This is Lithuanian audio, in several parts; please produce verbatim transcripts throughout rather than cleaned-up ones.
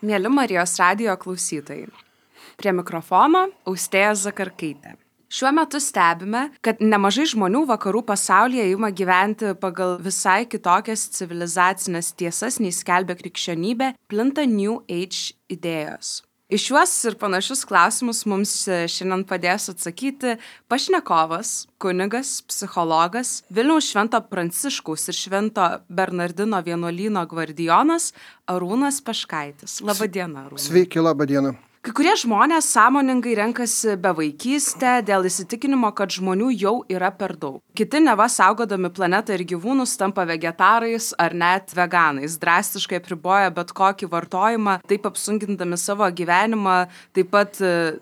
Mieli Marijos radijo klausytojai. Prie mikrofono Austėja Zakarkaitė. Šiuo metu stebime, kad nemažai žmonių vakarų pasaulyje ima gyventi pagal visai kitokias civilizacinės tiesas, nei skelbia krikščionybė, plinta New Age idėjos. Iš šiuos ir panašius klausimus mums šiandien padės atsakyti pašnekovas, kunigas, psichologas, Vilniaus Švento Pranciškaus ir Švento Bernardino vienuolyno gvardijonas Arūnas Peškaitis. Labą dieną, Arūnas. Sveiki, labą dieną. Kai kurie žmonės sąmoningai renkasi bevaikystę dėl įsitikinimo, kad žmonių jau yra per daug. Kiti neva saugodami planetą ir gyvūnus tampa vegetarais ar net veganais, drastiškai apriboja bet kokį vartojimą, taip apsunkindami savo gyvenimą, taip pat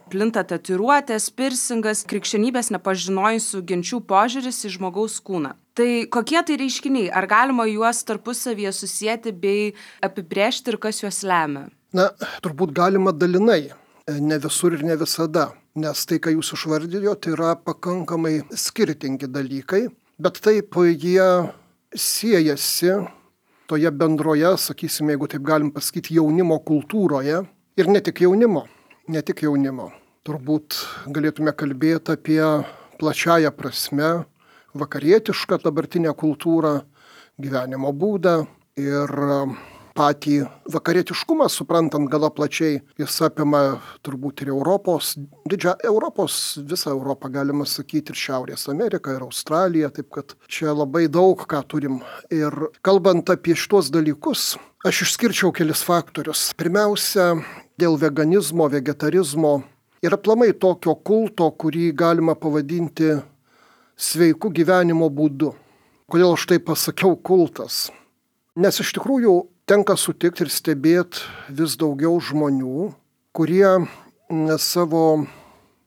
plinta tatuiruotės, pirsingas, krikščionybės nepažinojusių genčių požiūris į žmogaus kūną. Tai kokie tai reiškiniai? Ar galima juos tarpusavyje susijęti bei apibrėžti ir kas juos lemia? Na, turbūt galima dalinai, ne visur ir ne visada, nes tai, ką jūs išvardijote, yra pakankamai skirtingi dalykai, bet taip jie siejasi toje bendroje, sakysime, jeigu taip galim pasakyti, jaunimo kultūroje ir ne tik jaunimo, ne tik jaunimo. Turbūt galėtume kalbėti apie plačiąją prasme vakarietišką dabartinę kultūrą, gyvenimo būdą ir patį vakarietiškumą, suprantant gana plačiai, jis apima turbūt ir Europos, didžią Europos, visą Europą galima sakyti, ir Šiaurės Ameriką, ir Australiją, taip kad čia labai daug ką turim. Ir kalbant apie šitos dalykus, aš išskirčiau kelis faktorius. Pirmiausia, dėl veganizmo, vegetarizmo ir aplamai tokio kulto, kurį galima pavadinti sveiku gyvenimo būdu. Kodėl aš tai pasakiau kultas? Nes iš tikrųjų tenka sutikti ir stebėti vis daugiau žmonių, kurie savo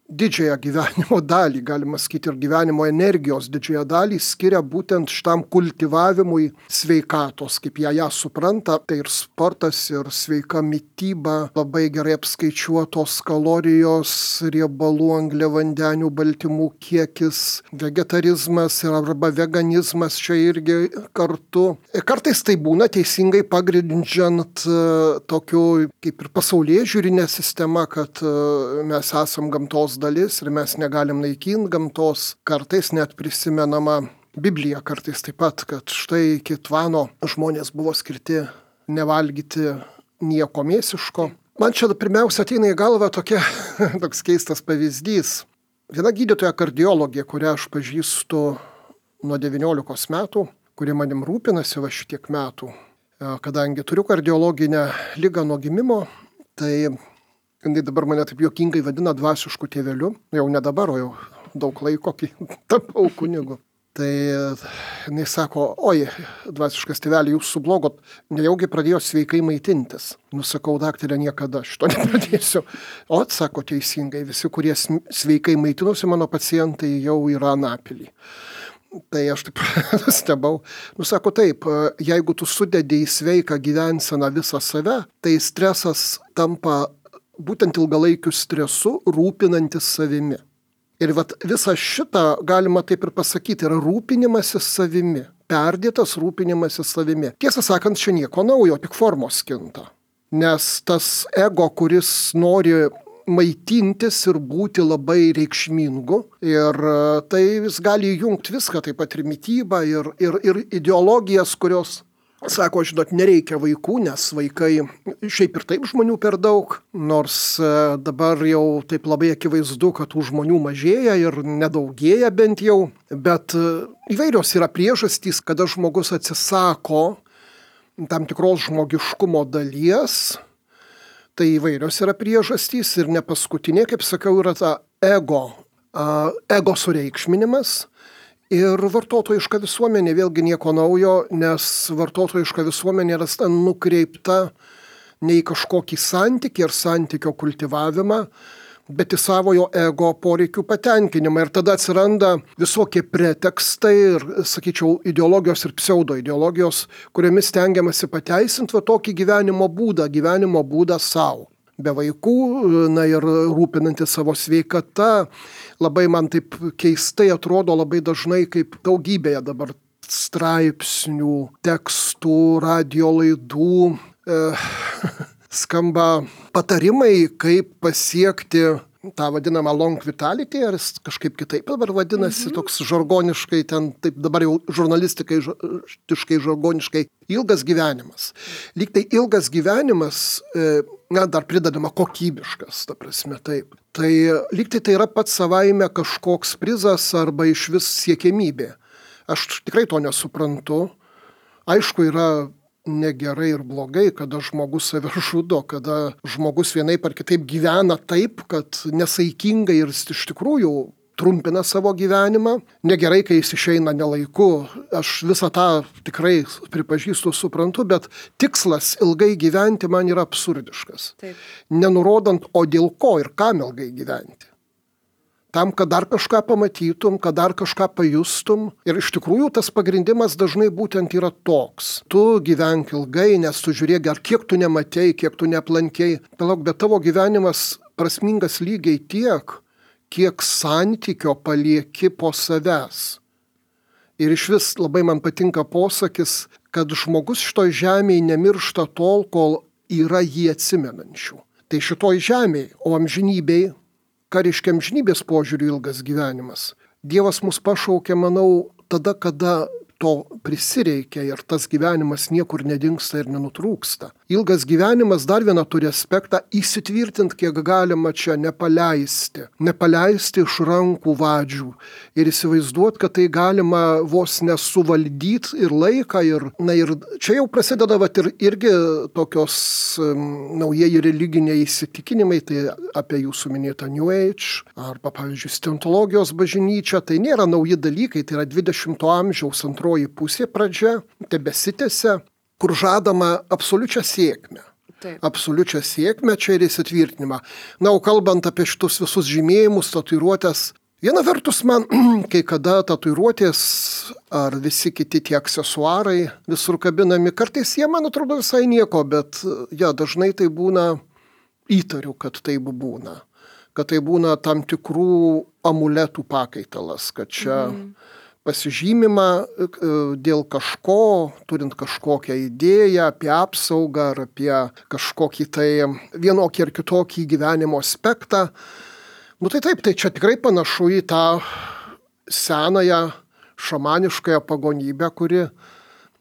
didžiąją gyvenimo dalį, galima sakyti, ir gyvenimo energijos didžiąją dalį skiria būtent šitam kultivavimui sveikatos, kaip jie ją supranta. Tai ir sportas, ir sveika mityba, labai gerai apskaičiuotos kalorijos, riebalų, angliavandenių, baltymų kiekis, vegetarizmas arba veganizmas čia irgi kartu. Kartais tai būna teisingai pagrindžiant tokiu kaip ir pasaulėžiūrinė sistema, kad mes esam gamtos dalis ir mes negalim naikinti gamtos. Kartais net prisimenama Biblija kartais taip pat, kad štai iki tvano žmonės buvo skirti nevalgyti nieko mėsiško. Man čia pirmiausia ateina į galvą tokia, toks keistas pavyzdys. Viena gydytoja kardiologė, kurią aš pažįstu nuo devyniolikos metų, kuri manim rūpinasi va šitiek metų, kadangi turiu kardiologinę ligą nuo gimimo, tai jinai dabar mane taip juokingai vadina dvasišku tėveliu, jau ne dabar, o jau daug laiko, kai tapau kunigu. Tai jinai sako, oi, dvasiškas tėvelį, jūs sublogot, nejaugi pradėjo sveikai maitintis. Nusakau, daktarė, niekada šito nepradėsiu. O, sako teisingai, visi, kurie sveikai maitinosi, mano pacientai jau yra Anapilį. Tai aš taip stebau. Nu, sako taip, jeigu tu sudedi į sveiką gyvenseną visą save, tai stresas tampa būtent ilgalaikiu stresu, rūpinantis savimi. Ir vat visą šitą, galima taip ir pasakyti, yra rūpinimasis savimi. Perdėtas rūpinimasis savimi. Tiesą sakant, čia nieko naujo, tik formos kinta. Nes tas ego, kuris nori maitintis ir būti labai reikšmingu, ir tai vis gali įjungti viską, taip pat ir mitybą, ir, ir, ir ideologijas, kurios sako, žinot, nereikia vaikų, nes vaikai šiaip ir taip žmonių per daug, nors dabar jau taip labai akivaizdu, kad tų žmonių mažėja ir nedaugėja bent jau, bet įvairios yra priežastys, kada žmogus atsisako tam tikros žmogiškumo dalies, tai įvairios yra priežastys ir ne paskutinė, kaip sakiau, yra ta ego, ego sureikšminimas. Ir vartotojiška visuomenė vėlgi nieko naujo, nes vartotojiška visuomenė yra nukreipta ne į kažkokį santykį ir santykio kultivavimą, bet į savojo ego poreikių patenkinimą. Ir tada atsiranda visokie pretekstai ir, sakyčiau, ideologijos ir pseudoideologijos, kuriomis stengiamasi pateisinti va tokį gyvenimo būdą, gyvenimo būdą savo. Be vaikų, na ir rūpinantis savo sveikata, labai man taip keistai atrodo labai dažnai kaip daugybėje dabar straipsnių, tekstų, radio laidų, skamba patarimai, kaip pasiekti tą vadinamą long vitality, ar jis kažkaip kitaip dabar vadinasi, mhm. toks žargoniškai, ten taip dabar jau žurnalistikai, tiškai žargoniškai, ilgas gyvenimas. Lyg tai ilgas gyvenimas, na, dar pridedama kokybiškas, ta prasme, taip. Tai lyg tai tai yra pats savaime kažkoks prizas arba iš vis siekiamybė. Aš tikrai to nesuprantu. Aišku, yra negerai ir blogai, kada žmogus save žudo, kada žmogus vienaip ar kitaip gyvena taip, kad nesaikingai ir iš tikrųjų trumpina savo gyvenimą. Negerai, kai jis išeina nelaiku. Aš visą tą tikrai pripažįstu, suprantu, bet tikslas ilgai gyventi man yra absurdiškas. Taip. Nenurodant, o dėl ko ir kam ilgai gyventi. Tam, kad dar kažką pamatytum, kad dar kažką pajustum. Ir iš tikrųjų tas pagrindimas dažnai būtent yra toks. Tu gyvenk ilgai, nes tu žiūrėk, ar kiek tu nematei, kiek tu neaplankei. Palauk, bet tavo gyvenimas prasmingas lygiai tiek, kiek santykio palieki po savęs. Ir iš vis labai man patinka posakis, kad žmogus šitoj žemėje nemiršta tol, kol yra jį atsimenančių. Tai šitoj žemėje, o amžinybėj, ką reiškia amžinybės požiūrių ilgas gyvenimas. Dievas mus pašaukė, manau, tada, kada to prisireikia ir tas gyvenimas niekur nedingsta ir nenutrūksta. Ilgas gyvenimas dar vieną turi aspektą - įsitvirtinti, kiek galima čia, nepaleisti. Nepaleisti iš rankų vadžių ir įsivaizduoti, kad tai galima vos nesuvaldyti ir laiką. Ir, na, ir čia jau prasideda vat, ir, irgi tokios um, naujieji religiniai įsitikinimai, tai apie jūsų minėtą New Age, arba, pavyzdžiui, Scientologijos bažnyčia. Tai nėra nauji dalykai, tai yra dvidešimto amžiaus antroji pusė pradžia, tebesitęsia, kur žadama absoliučią sėkmę. Taip. Absoliučią sėkmę čia ir įsitvirtinimą. Na, o kalbant apie šitus visus žymėjimus, tatuiruotės, viena vertus man, kai kada tatuiruotės ar visi kiti tie aksesuarai visur kabinami, kartais jie, man atrodo, visai nieko, bet ja, dažnai tai būna, įtariu, kad taip būna. Kad tai būna tam tikrų amuletų pakaitalas, kad čia mm. pasižymima dėl kažko, turint kažkokią idėją apie apsaugą ar apie kažkokį tai vienokį ar kitokį gyvenimo aspektą. Nu tai taip, tai čia tikrai panašu į tą senąją šamaniškąją pagonybę, kuri,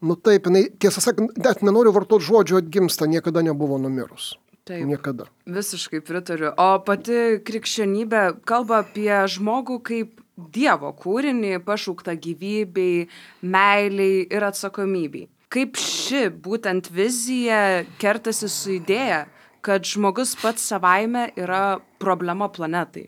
nu taip, jinai, tiesą sakant, net nenoriu vartoti žodžio atgimsta, niekada nebuvo numirus. Taip, niekada. Visiškai pritariu. O pati krikščionybė kalba apie žmogų kaip Dievo kūrinį, pašauktą gyvybei, meiliai ir atsakomybei. Kaip ši būtent vizija kertasi su idėja, kad žmogus pats savaime yra problema planetai?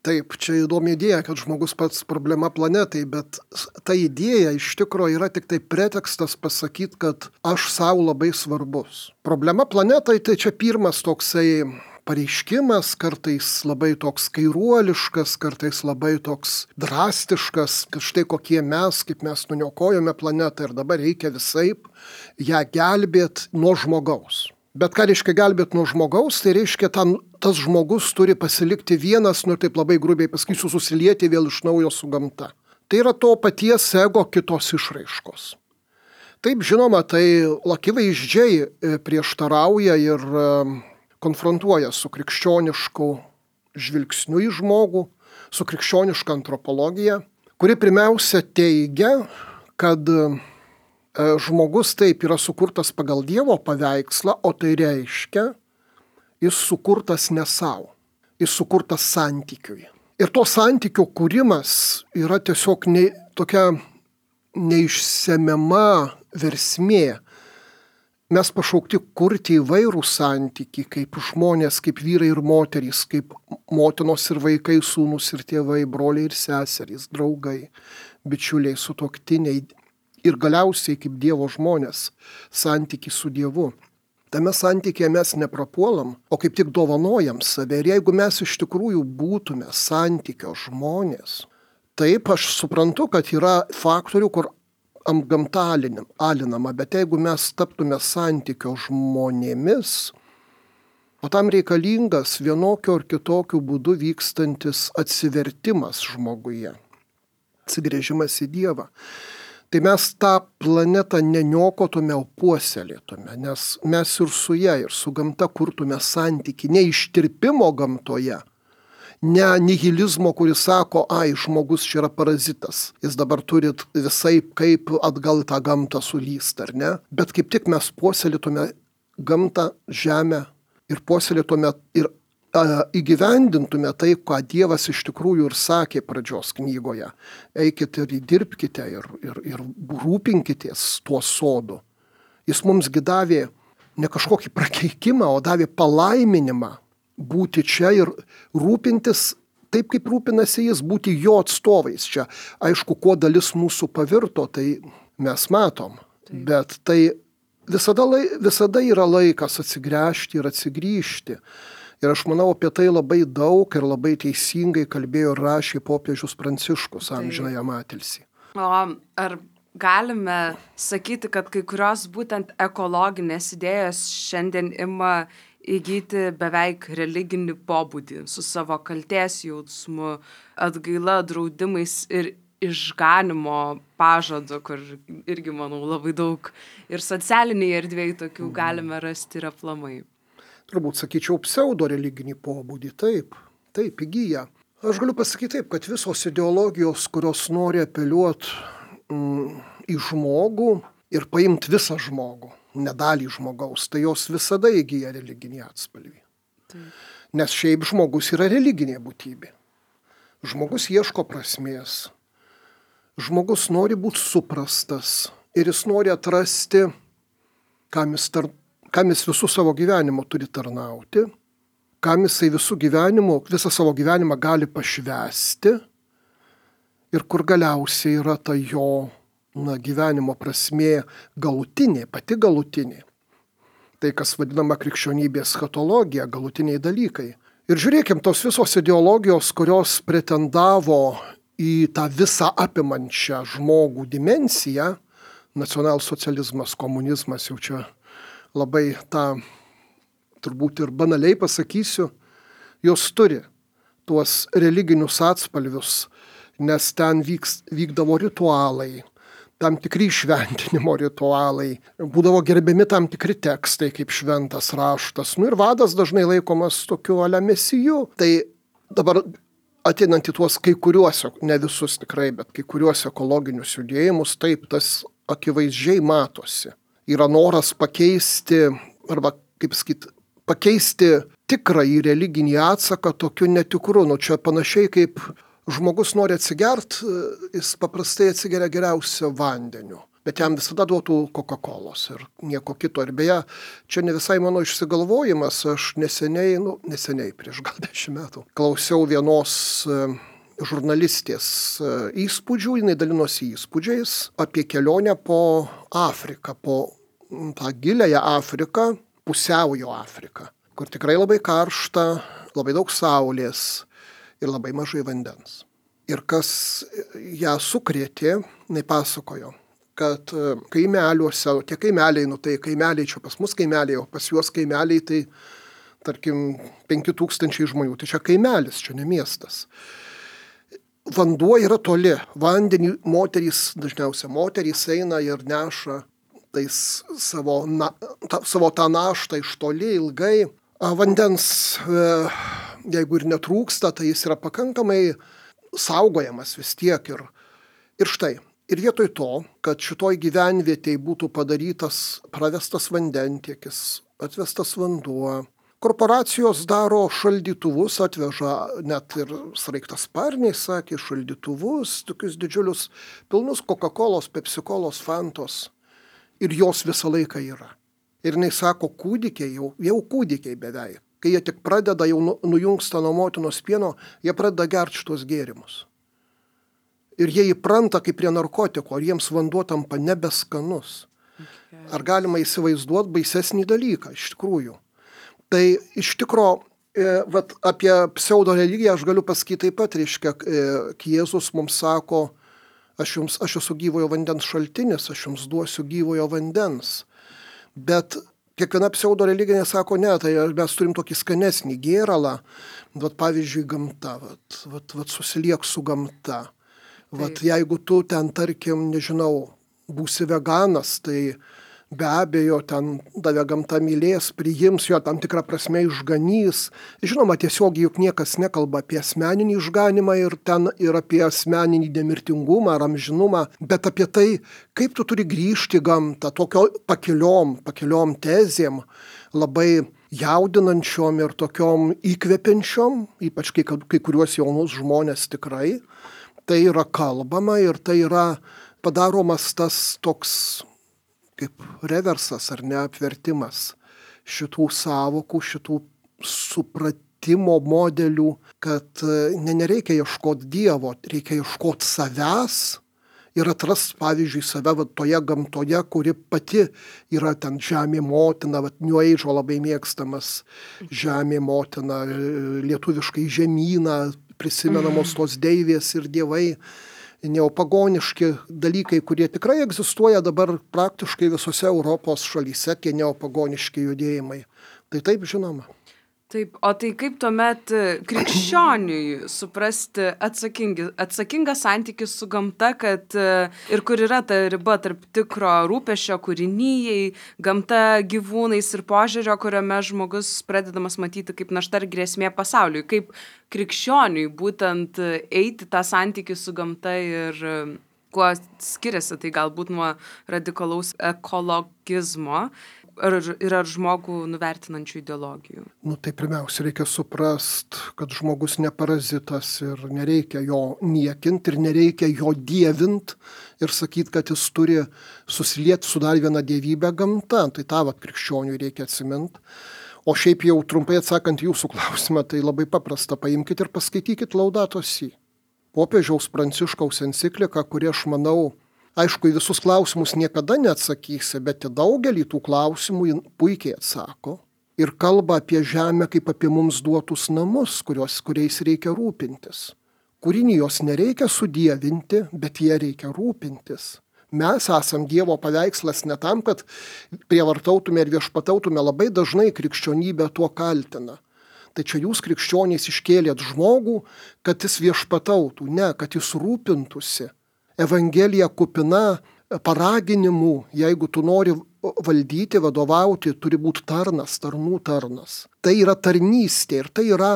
Taip, čia įdomi idėja, kad žmogus pats problema planetai, bet ta idėja iš tikrųjų yra tik tai pretekstas pasakyti, kad aš savo labai svarbus. Problema planetai tai čia pirmas toksai pareiškimas, kartais labai toks kairuoliškas, kartais labai toks drastiškas, kad štai kokie mes, kaip mes nuniokojome planetą ir dabar reikia visaip ją gelbėti nuo žmogaus. Bet ką reiškia gelbėti nuo žmogaus, tai reiškia tam, tas žmogus turi pasilikti vienas, nu taip labai grubiai pasakysiu, susilieti vėl iš naujo su gamta. Tai yra to paties ego kitos išraiškos. Taip, žinoma, tai akivaizdžiai prieštarauja ir konfrontuoja su krikščionišku žvilgsniu į žmogų, su krikščioniška antropologija, kuri pirmiausia teigia, kad žmogus taip yra sukurtas pagal Dievo paveikslą, o tai reiškia, jis sukurtas ne savo, jis sukurtas santykiui. Ir to santykio kūrimas yra tiesiog ne, tokia neišsemiama versmė. Mes pašaukti kurti įvairų santykį, kaip žmonės, kaip vyrai ir moterys, kaip motinos ir vaikai, sūnus ir tėvai, broliai ir seserys, draugai, bičiuliai, sutuoktiniai ir galiausiai kaip Dievo žmonės, santykį su Dievu. Tame santykėje mes neprapuolam, o kaip tik dovanojam save. Ir jeigu mes iš tikrųjų būtume santykio žmonės, taip aš suprantu, kad yra faktorių, kur gamta alinama, bet jeigu mes taptume santykio žmonėmis, o tam reikalingas vienokio ar kitokio būdu vykstantis atsivertimas žmoguje, atsigrėžimas į Dievą, tai mes tą planetą neniokotume, o puoselėtume, nes mes ir su ją, ir su gamta kurtume santykį, ne ištirpimo gamtoje, ne nihilizmo, kuris sako, ai, žmogus čia yra parazitas, jis dabar turi visai kaip atgal tą gamtą sulyst, ar ne, bet kaip tik mes puoselėtume gamtą, žemę ir puoselėtume ir įgyvendintume tai, ką Dievas iš tikrųjų ir sakė pradžios knygoje. Eikite ir įdirbkite ir, ir, ir rūpinkitės tuo sodu. Jis mumsgi davė ne kažkokį prakeikimą, o davė palaiminimą būti čia ir rūpintis taip, kaip rūpinasi jis, būti jo atstovais čia. Aišku, kuo dalis mūsų pavirto, tai mes matom, taip. Bet tai visada, lai, visada yra laikas atsigręžti ir atsigrįžti. Ir aš manau, apie tai labai daug ir labai teisingai kalbėjo ir rašė popiežius Pranciškus, amžinąją atilsį. O ar galime sakyti, kad kai kurios būtent ekologinės idėjos šiandien ima įgyti beveik religinį pobūdį su savo kaltės jausmu, atgaila, draudimais ir išganimo pažadu, kur irgi, manau, labai daug ir socialiniai erdvėjai tokių galime rasti ir aplamai. Turbūt sakyčiau pseudo religinį pobūdį, taip, taip įgyja. Aš galiu pasakyti taip, kad visos ideologijos, kurios nori apeliuoti mm, į žmogų ir paimti visą žmogų, ne dalį žmogaus, tai jos visada įgyja religinį atspalvį. Taip. Nes šiaip žmogus yra religinė būtybė. Žmogus ieško prasmės. Žmogus nori būti suprastas ir jis nori atrasti, kam jis tarnauja. Kam jis visų savo gyvenimo turi tarnauti, kam jisai visų gyvenimo, visą savo gyvenimą gali pašvęsti ir kur galiausiai yra ta jo na, gyvenimo prasmė galutinė, pati galutinė. Tai, kas vadinama krikščionybės eschatologija, galutiniai dalykai. Ir žiūrėkim, tos visos ideologijos, kurios pretendavo į tą visą apimančią žmogų dimensiją, nacionalsocializmas, komunizmas, jau čia labai tą, turbūt ir banaliai pasakysiu, jos turi tuos religinius atspalvius, nes ten vyks, vykdavo ritualai, tam tikri šventinimo ritualai, būdavo gerbiami tam tikri tekstai, kaip šventas raštas. Nu ir vadas dažnai laikomas tokiu ale mesiju. Tai dabar ateinant į tuos kai kuriuos, ne visus tikrai, bet kai kuriuos ekologinius judėjimus, taip tas akivaizdžiai matosi. Yra noras pakeisti, arba, kaip sakyt, pakeisti tikrąjį religinį atsaką tokiu netikru. Nu, čia panašiai kaip žmogus nori atsigert, jis paprastai atsigeria geriausio vandeniu, bet jam visada duotų Coca-Colos ir nieko kito. Ir beje, čia ne visai mano išsigalvojimas, aš neseniai, nu, neseniai prieš gal dešimt metų, klausiau vienos žurnalistės įspūdžių, jinai dalinosi įspūdžiais apie kelionę po Afriką, po tą giliąją Afriką, pusiaujo Afriką, kur tikrai labai karšta, labai daug saulės ir labai mažai vandens. Ir kas ją sukrėtė, jinai pasakojo, kad kaimeliuose, tie kaimeliai, nu tai kaimeliai čia pas mus kaimeliai, o pas juos kaimeliai tai, tarkim, penki tūkstančiai žmonių, tai čia kaimelis, čia ne miestas. Vanduo yra toli, vandenį moterys, dažniausiai moterys eina ir neša tais savo, na, ta, savo tą naštą iš toli ilgai. Vandens, jeigu ir netrūksta, tai jis yra pakankamai saugojamas vis tiek. Ir, ir štai, ir vietoj to, kad šitoj gyvenvietėj būtų padarytas, pravestas vandentiekis, atvestas vanduo, korporacijos daro šaldytuvus, atveža net ir sraigtasparniai, sakė, šaldytuvus, tokius didžiulius, pilnus Coca-Colos, Pepsi-Colos, Fantos. Ir jos visą laiką yra. Ir jinai sako, kūdikiai, jau, jau kūdikiai beveik. Kai jie tik pradeda, jau nujungsta nuo motinos pieno, jie pradeda gerti šitos gėrimus. Ir jie įpranta kaip prie narkotiko, ar jiems vanduo tampa nebeskanus. Ar galima įsivaizduoti baisesnį dalyką, iš tikrųjų. Tai iš tikro, e, vat, apie pseudo religiją aš galiu pasakyti taip pat, reiškia, e, Jėzus mums sako, aš, jums, aš esu gyvojo vandens šaltinis, aš jums duosiu gyvojo vandens. Bet kiekviena pseudo religinė sako, ne, tai mes turim tokį skanesnį gėralą, vat, pavyzdžiui, gamta, vat, vat, vat, susiliek su gamta. Vat, jeigu tu ten, tarkim, nežinau, būsi veganas, tai be abejo ten tave gamta mylės, priims, jo tam tikrą prasme išganys. Žinoma, tiesiog juk niekas nekalba apie asmeninį išganimą ir ten ir apie asmeninį nemirtingumą ar amžinumą, bet apie tai, kaip tu turi grįžti į gamtą, tokio pakeliom, pakeliom tezėm, labai jaudinančiom ir tokiom įkvepiančiom, ypač kai, kai kuriuos jaunus žmonės tikrai. Tai yra kalbama ir tai yra padaromas tas toks kaip reversas ar neapvertimas šitų savokų, šitų supratimo modelių, kad ne, nereikia ieškoti Dievo, reikia ieškoti savęs ir atrasti, pavyzdžiui, save va, toje gamtoje, kuri pati yra ten žemė motina, va, New Age labai mėgstamas žemė motina, lietuviškai žemyna, prisimenamos tos deivės ir dievai, neopagoniški dalykai, kurie tikrai egzistuoja dabar praktiškai visose Europos šalyse, tie neopagoniški judėjimai. Tai taip žinoma. Taip, o tai kaip tuomet krikščioniui suprasti atsakingi, atsakingą santykį su gamta, kad ir kur yra ta riba tarp tikro rūpesčio kūrinijai, gamta, gyvūnais ir požiūrio, kuriame žmogus pradedamas matyti kaip našta ir grėsmė pasauliui. Kaip krikščioniui būtent eiti tą santykį su gamta ir kuo skiriasi tai galbūt nuo radikalaus ekologizmo ar, ir ar žmogų nuvertinančių ideologijų? Nu, tai pirmiausia, reikia suprast, kad žmogus ne parazitas ir nereikia jo niekinti ir nereikia jo dievint ir sakyti, kad jis turi susilieti su dar viena dievybė gamta. Tai tą vat krikščioniui reikia atsiminti. O šiaip jau trumpai atsakant jūsų klausimą, tai labai paprasta. Paimkite ir paskaitykite Laudato Si. Popiežiaus Pranciškaus encikliką, kuri aš manau, aišku, į visus klausimus niekada neatsakysi, bet į daugelį tų klausimų jin puikiai atsako ir kalba apie žemę kaip apie mums duotus namus, kurios, kuriais reikia rūpintis. Kūrinijos nereikia sudievinti, bet jie reikia rūpintis. Mes esam Dievo paveikslas ne tam, kad prievartautume ir viešpatautume, labai dažnai krikščionybė tuo kaltina. Tai čia jūs krikščionys iškėlėt žmogų, kad jis viešpatautų, ne, kad jis rūpintųsi. Evangelija kupina paraginimų, jeigu tu nori valdyti, vadovauti, turi būti tarnas, tarnų tarnas. Tai yra tarnystė ir tai yra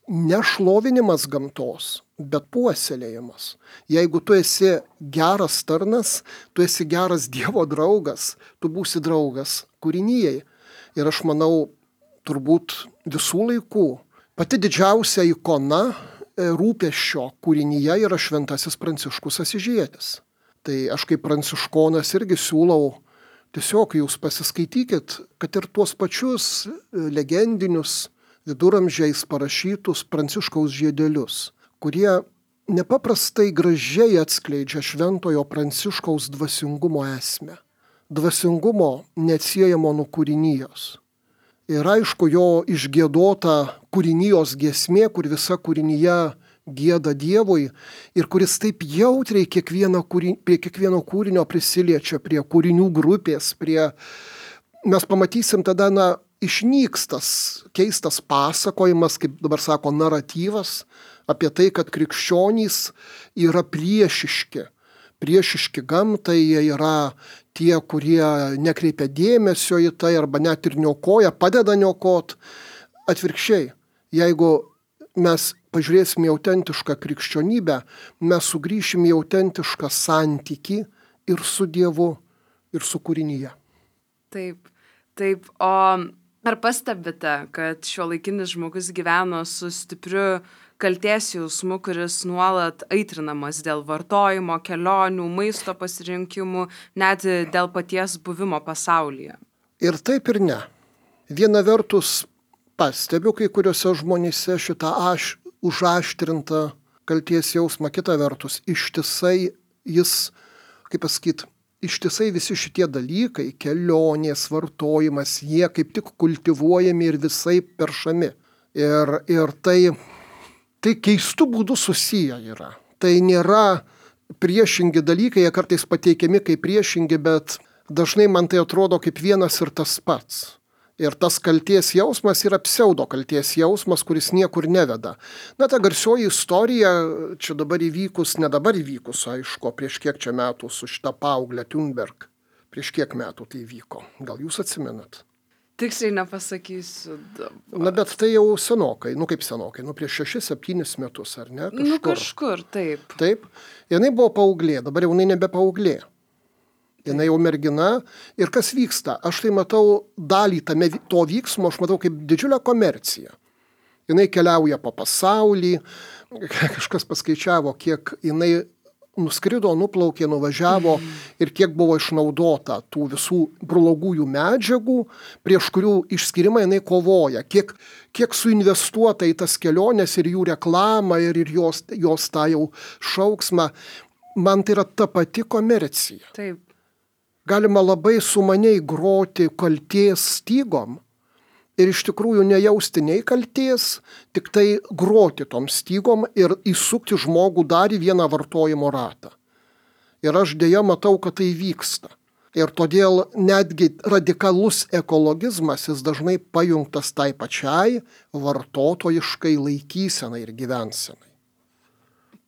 nešlovinimas gamtos, bet puoselėjimas. Jeigu tu esi geras tarnas, tu esi geras Dievo draugas, tu būsi draugas kūrinijai. Ir aš manau, turbūt visų laikų pati didžiausia ikona rūpesčio kūrinyje yra šventasis Pranciškus Asyžietis. Tai aš kaip pranciškonas irgi siūlau, tiesiog jūs pasiskaitykit, kad ir tuos pačius legendinius viduramžiais parašytus Pranciškaus žiedelius, kurie nepaprastai gražiai atskleidžia šventojo Pranciškaus dvasingumo esmę. Dvasingumo neatsiejamo nuo kūrinijos. Ir aišku, jo išgiedota kūrinijos giesmė, kur visa kūrinyje gieda Dievui ir kuris taip jautriai kiekvieno, kūrin, prie kiekvieno kūrinio prisiliečia, prie kūrinių grupės, prie... Mes pamatysim tada, na, išnykstas, keistas pasakojimas, kaip dabar sako, naratyvas apie tai, kad krikščionys yra priešiški. Priešiški gamtai, jie yra tie, kurie nekreipia dėmesio į tai arba net ir niokoja, padeda niokot. Atvirkščiai, jeigu mes pažiūrėsime į autentišką krikščionybę, mes sugrįšime į autentišką santykį ir su Dievu, ir su kūrinyje. Taip, taip. O ar pastebite, kad šiuolaikinis žmogus gyveno su stipriu kaltės jausmu, kuris nuolat aitrinamas dėl vartojimo, kelionių, maisto pasirinkimų, net dėl paties buvimo pasaulyje? Ir taip ir ne. Viena vertus pastebiu kai kuriuose žmonėse šitą aš, užaštrintą kaltės jausmą, kita vertus ištisai jis, kaip pasakyti, ištisai visi šitie dalykai, kelionės, vartojimas, jie kaip tik kultivuojami ir visai peršami. Ir, ir tai... Tai keistų būdų susiję yra. Tai nėra priešingi dalykai, jie kartais pateikiami kaip priešingi, bet dažnai man tai atrodo kaip vienas ir tas pats. Ir tas kalties jausmas yra pseudo kalties jausmas, kuris niekur neveda. Na, ta garsioji istorija, čia dabar įvykus, ne dabar įvykus, aišku, prieš kiek čia metų su šita paauglė Thunberg. Prieš kiek metų tai vyko. Gal jūs atsimenat? Tiksliai nepasakysiu. Dabar. Na, bet tai jau senokai, nu kaip senokai, nu prieš šešis, septynis metus, ar ne? Kažkur. Nu kažkur, taip. Taip. Jinai buvo paauglė, dabar jau jinai nebe paauglė. Jinai jau mergina. Ir kas vyksta? Aš tai matau dalį tame to vyksmo, aš matau kaip didžiulę komerciją. Jinai keliauja po pasaulį, kažkas paskaičiavo, kiek jinai nuskrido, nuplaukė, nuvažiavo mm. ir kiek buvo išnaudota tų visų blogųjų medžiagų, prieš kurių išskirimą jinai kovoja, kiek, kiek suinvestuota į tas keliones ir jų reklamą ir, ir jos, jos tą jau šauksmą. Man tai yra ta pati komercija. Taip. Galima labai sumaniai groti kalties stygom ir iš tikrųjų nejausti nei kalties, tik tai groti tom stygom ir įsukti žmogų dar į vieną vartojimo ratą. Ir aš dėja matau, kad tai vyksta. Ir todėl netgi radikalus ekologizmas jis dažnai pajungtas tai pačiai vartotojiškai laikysenai ir gyvensenai.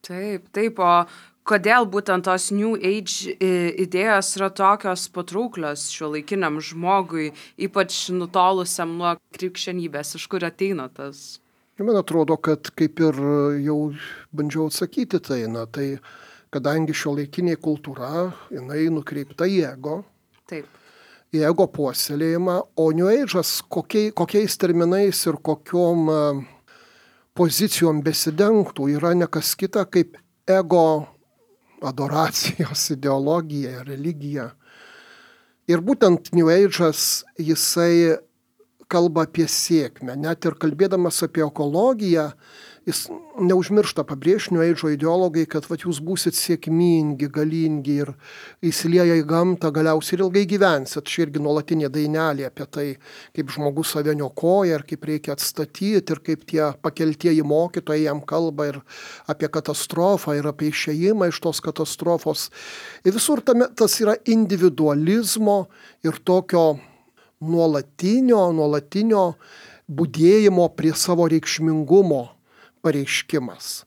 Taip, taip, o kodėl būtent tos New Age idėjos yra tokios patrauklios šiuolaikiniam žmogui, ypač nutolusiam nuo krikščionybės, iš kur ateina tas? Man atrodo, kad kaip ir jau bandžiau atsakyti tai, na, tai kadangi šiuolaikinė kultūra, jinai nukreipta į ego, Taip. į ego puoselėjimą, o New Age'as kokiai, kokiais terminais ir kokiom pozicijom besidengtų yra ne kas kita kaip ego adoracijos ideologija, religija. Ir būtent New Age'as jisai kalba apie sėkmę. Net ir kalbėdamas apie ekologiją, jis neužmiršta pabrėžti New Age'o ideologai, kad vat, jūs būsit sėkmingi, galingi ir įsilieję į gamtą, galiausiai ir ilgai gyvensit. Čia irgi nuolatinė dainelė apie tai, kaip žmogus save niokoja ir kaip reikia atstatyti ir kaip tie pakeltieji mokytojai jam kalba ir apie katastrofą ir apie išėjimą iš tos katastrofos. Ir visur tame, tas yra individualizmo ir tokio nuolatinio, nuolatinio budėjimo prie savo reikšmingumo pareiškimas.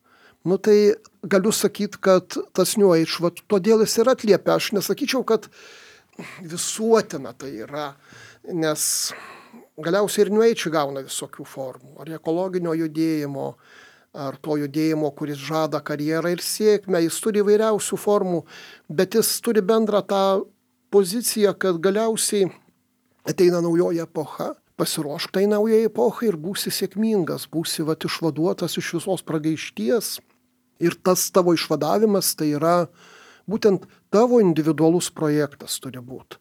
Nu tai galiu sakyti, kad tas New Age, vat, todėl jis ir atliepia. Aš nesakyčiau, kad visuotina tai yra, nes galiausiai ir New Age gauna visokių formų. Ar ekologinio judėjimo, ar to judėjimo, kuris žada karjerą ir sėkmę. Jis turi įvairiausių formų, bet jis turi bendrą tą poziciją, kad galiausiai ateina naujoji epocha. Pasiruošk tai naujai epochai ir būsi sėkmingas, būsi vat, išvaduotas iš visos pragaišties. Ir tas tavo išvadavimas tai yra būtent tavo individualus projektas turi būti.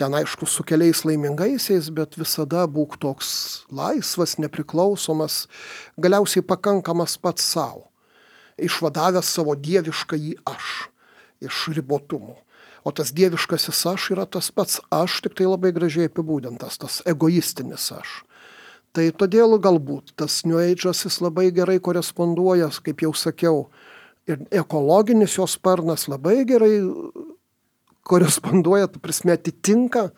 Ten aišku su keliais laimingaisiais, bet visada būk toks laisvas, nepriklausomas, galiausiai pakankamas pats savo. Išvadavęs savo dieviškąjį aš iš ribotumų. O tas dieviškasis aš yra tas pats aš, tik tai labai gražiai apibūdintas, tas egoistinis aš. Tai todėl galbūt tas New Age'as jis labai gerai koresponduoja, kaip jau sakiau, ir ekologinis jos sparnas labai gerai koresponduoja, ta prasme atitinka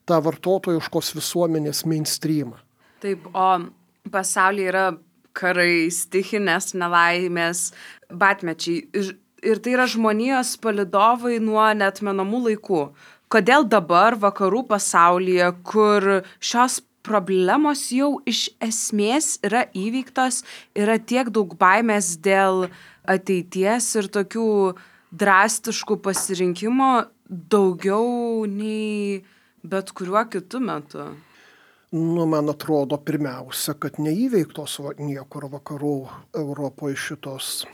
tą vartotojiškos visuomenės mainstreamą. Taip, o pasaulyje yra karai, stichinės nelaimės, batmečiai. Ir tai yra žmonijos palydovai nuo neatmenamų laikų. Kodėl dabar vakarų pasaulyje, kur šios problemos jau iš esmės yra įveiktos, yra tiek daug baimės dėl ateities ir tokių drastiškų pasirinkimo daugiau nei bet kuriuo kitu metu? Nu, man atrodo, pirmiausia, kad neįveiktos niekur vakarų Europoje šitos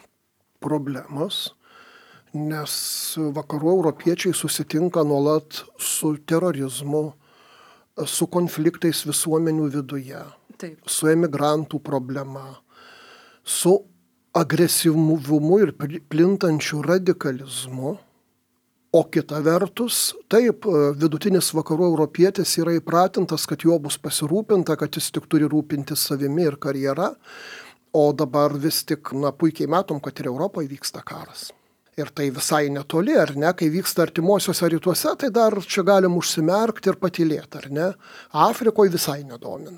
problemos, nes vakarų europiečiai susitinka nuolat su terorizmu, su konfliktais visuomenių viduje, Taip. su emigrantų problema, su agresyvumu ir plintančiu radikalizmu. O kita vertus, taip, vidutinis vakarų europietis yra įpratintas, kad jo bus pasirūpinta, kad jis tik turi rūpinti savimi ir karjera. O dabar vis tik, na, puikiai matom, kad ir Europoje vyksta karas. Ir tai visai netoli, ar ne, kai vyksta artimuosiuose rytuose, tai dar čia galim užsimerkti ir patylėti, ar ne. Afrikoje visai nedomina.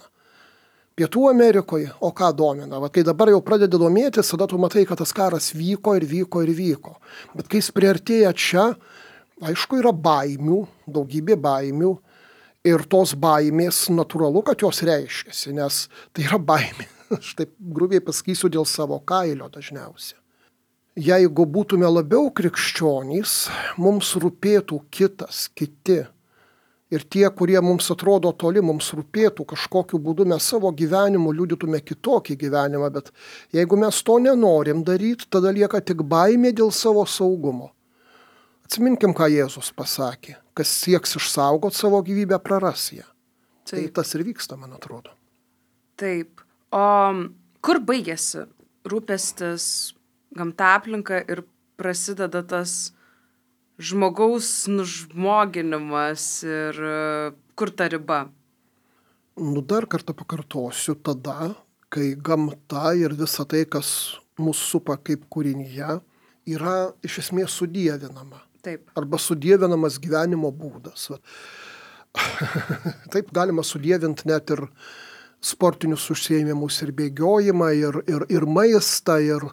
Pietų Amerikoje, o ką domina? Va, kai dabar jau pradedi domėtis, tada tu matai, kad tas karas vyko ir vyko ir vyko. Bet kai jis priartėja čia, aišku, yra baimių, daugybė baimių. Ir tos baimės natūralu, kad jos reiškiasi, nes tai yra baimė. Aš taip grubiai pasakysiu dėl savo kailio dažniausiai. Jeigu būtume labiau krikščionys, mums rūpėtų kitas, kiti. Ir tie, kurie mums atrodo toli, mums rūpėtų kažkokiu būdu, mes savo gyvenimu liudytume kitokį gyvenimą, bet jeigu mes to nenorim daryti, tada lieka tik baimė dėl savo saugumo. Atsiminkim, ką Jėzus pasakė, kas sieks išsaugoti savo gyvybę, praras ją. Tai tas ir vyksta, man atrodo. Taip. O kur baigėsi rūpestis gamta aplinka ir prasideda tas žmogaus nužmoginimas ir kur ta riba? Nu, dar kartą pakartosiu, tada, kai gamta ir visa tai, kas mus supa kaip kūrinyje, yra iš esmės sudievinama. Taip. Arba sudievinamas gyvenimo būdas. Taip galima sudievinti net ir sportinius užsiėmimus ir bėgiojimą, ir, ir, ir maistą, ir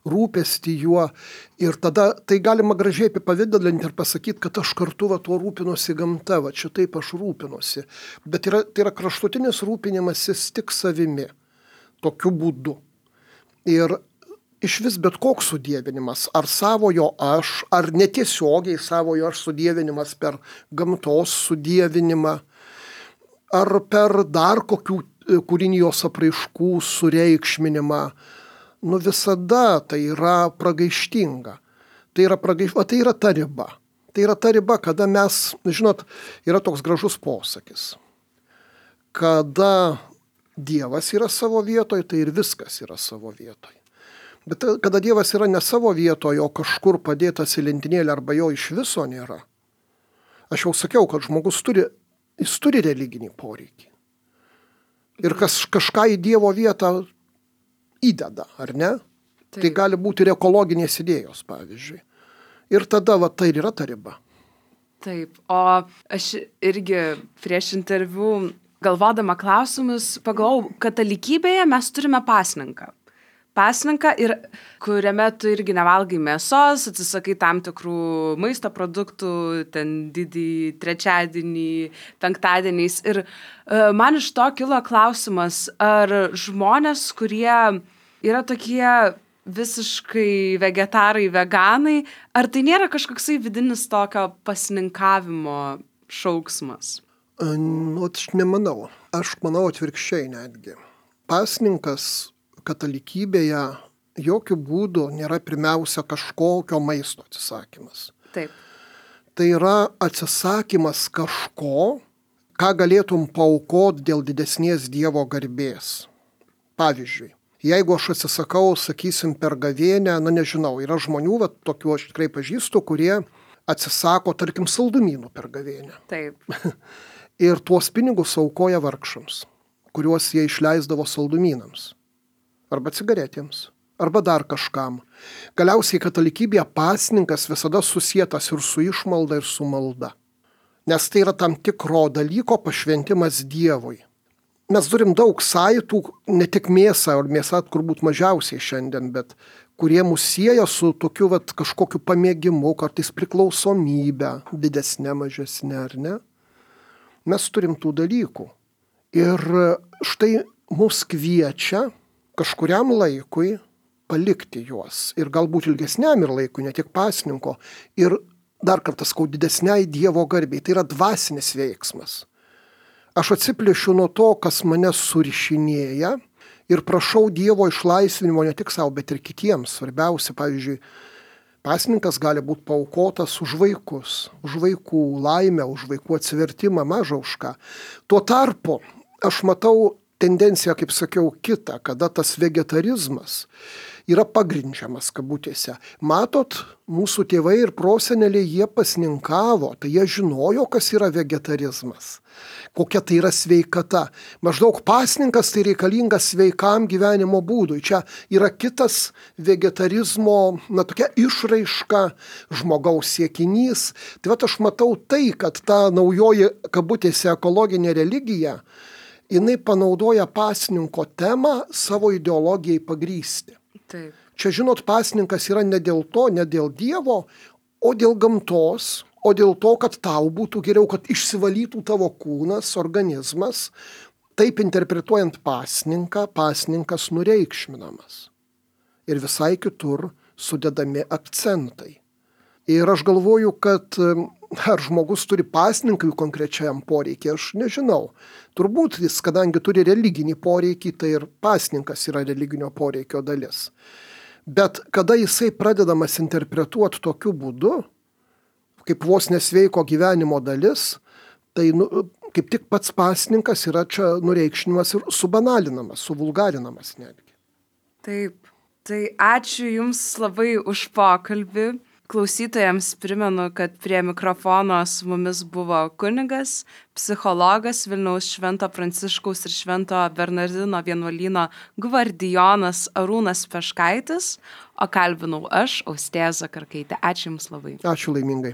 rūpestį juo. Ir tada tai galima gražiai apipavidalinti ir pasakyti, kad aš kartu va, tuo rūpinuosi gamta, va čia taip aš rūpinuosi. Bet yra, tai yra kraštutinis rūpinimasis tik savimi, tokiu būdu. Ir iš vis bet koks sudievinimas, ar savojo aš, ar netiesiogiai savojo aš sudievinimas per gamtos sudievinimą, ar per dar kokių kūrinijos apraiškų sureikšminimą, nu visada tai yra pragaištinga. Tai yra, pragaiš... o, tai yra ta riba. Tai yra ta riba, kada mes, žinot, yra toks gražus posakis. Kada Dievas yra savo vietoje, tai ir viskas yra savo vietoje. Bet kada Dievas yra ne savo vietoje, o kažkur padėtas į lentynėlę arba jo iš viso nėra. Aš jau sakiau, kad žmogus turi, jis turi religinį poreikį. Ir kas kažką į Dievo vietą įdeda, ar ne? Taip. Tai gali būti ir ekologinės idėjos, pavyzdžiui. Ir tada va, tai yra ta riba. Taip, o aš irgi prieš interviu galvodama klausimus pagalvojau, katalikybėje mes turime pasninką. Pasninką, ir kuriame tu irgi nevalgai mėsos, atsisakai tam tikrų maisto produktų, ten didį trečiadienį, penktadieniais. Ir uh, man iš to kilo klausimas, ar žmonės, kurie yra tokie visiškai vegetarai, veganai, ar tai nėra kažkoksai vidinis tokio pasninkavimo šauksmas? Nu, aš nemanau. Aš manau atvirkščiai netgi. Pasninkas katalikybėje jokių būdų nėra pirmiausia kažkokio maisto atsisakymas. Taip. Tai yra atsisakymas kažko, ką galėtum paaukoti dėl didesnės Dievo garbės. Pavyzdžiui, jeigu aš atsisakau, sakysim, per gavėnę, na nežinau, yra žmonių, va, tokių aš tikrai pažįstu, kurie atsisako, tarkim, saldumynų per gavėnę. Taip. Ir tuos pinigus aukoja vargšams, kuriuos jie išleisdavo saldumynams. Arba cigaretėms, arba dar kažkam. Galiausiai katalikybėje pasninkas visada susietas ir su išmalda, ir su malda. Nes tai yra tam tikro dalyko pašventimas Dievui. Mes turim daug saitų, ne tik mėsą, ar mėsą turbūt mažiausiai šiandien, bet kurie mus sieja su tokiu vat, kažkokiu pamėgimu, kartais priklausomybę, didesnė, mažesnė, ar ne? Mes turim tų dalykų. Ir štai mus kviečia kažkuriam laikui palikti juos. Ir galbūt ilgesniam ir laikui, ne tik pasninko. Ir dar kartą sakau, didesniai Dievo garbei. Tai yra dvasinis veiksmas. Aš atsiplėšiu nuo to, kas mane surišinėja ir prašau Dievo išlaisvinimo ne tik savo, bet ir kitiems. Svarbiausia, pavyzdžiui, pasninkas gali būti paaukotas už vaikus, už vaikų laimę, už vaikų atsivertimą, maža už ką. Tuo tarpu aš matau tendencija, kaip sakiau, kita, kada tas vegetarizmas yra pagrindžiamas kabutėse. Matot, mūsų tėvai ir proseneliai jie pasninkavo, tai jie žinojo, kas yra vegetarizmas, kokia tai yra sveikata. Maždaug pasninkas tai reikalingas sveikam gyvenimo būdui. Čia yra kitas vegetarizmo, na, tokia išraiška, žmogaus siekinys. Tai vat aš matau tai, kad ta naujoji kabutėse ekologinė religija, jinai panaudoja pasninko temą savo ideologijai pagrysti. Taip. Čia, žinot, pasninkas yra ne dėl to, ne dėl Dievo, o dėl gamtos, o dėl to, kad tau būtų geriau, kad išsivalytų tavo kūnas, organizmas. Taip interpretuojant pasninką, pasninkas nureikšminamas. Ir visai kitur sudedami akcentai. Ir aš galvoju, kad ar žmogus turi pasninkui konkrečiam poreikį, aš nežinau. Turbūt jis, kadangi turi religinį poreikį, tai ir pasninkas yra religinio poreikio dalis. Bet kada jisai pradedamas interpretuoti tokiu būdu, kaip vos nesveiko gyvenimo dalis, tai nu, kaip tik pats pasninkas yra čia nureikšnimas ir subanalinamas, suvulgarinamas netgi. Taip, tai ačiū Jums labai už pokalbį. Klausytojams primenu, kad prie mikrofono su mumis buvo kunigas, psichologas Vilniaus Švento Pranciškaus ir Švento Bernardino vienuolyno gvardijonas Arūnas Peškaitis, o kalbinau aš, Austėja Zakarkaitė. Ačiū Jums labai. Ačiū laimingai.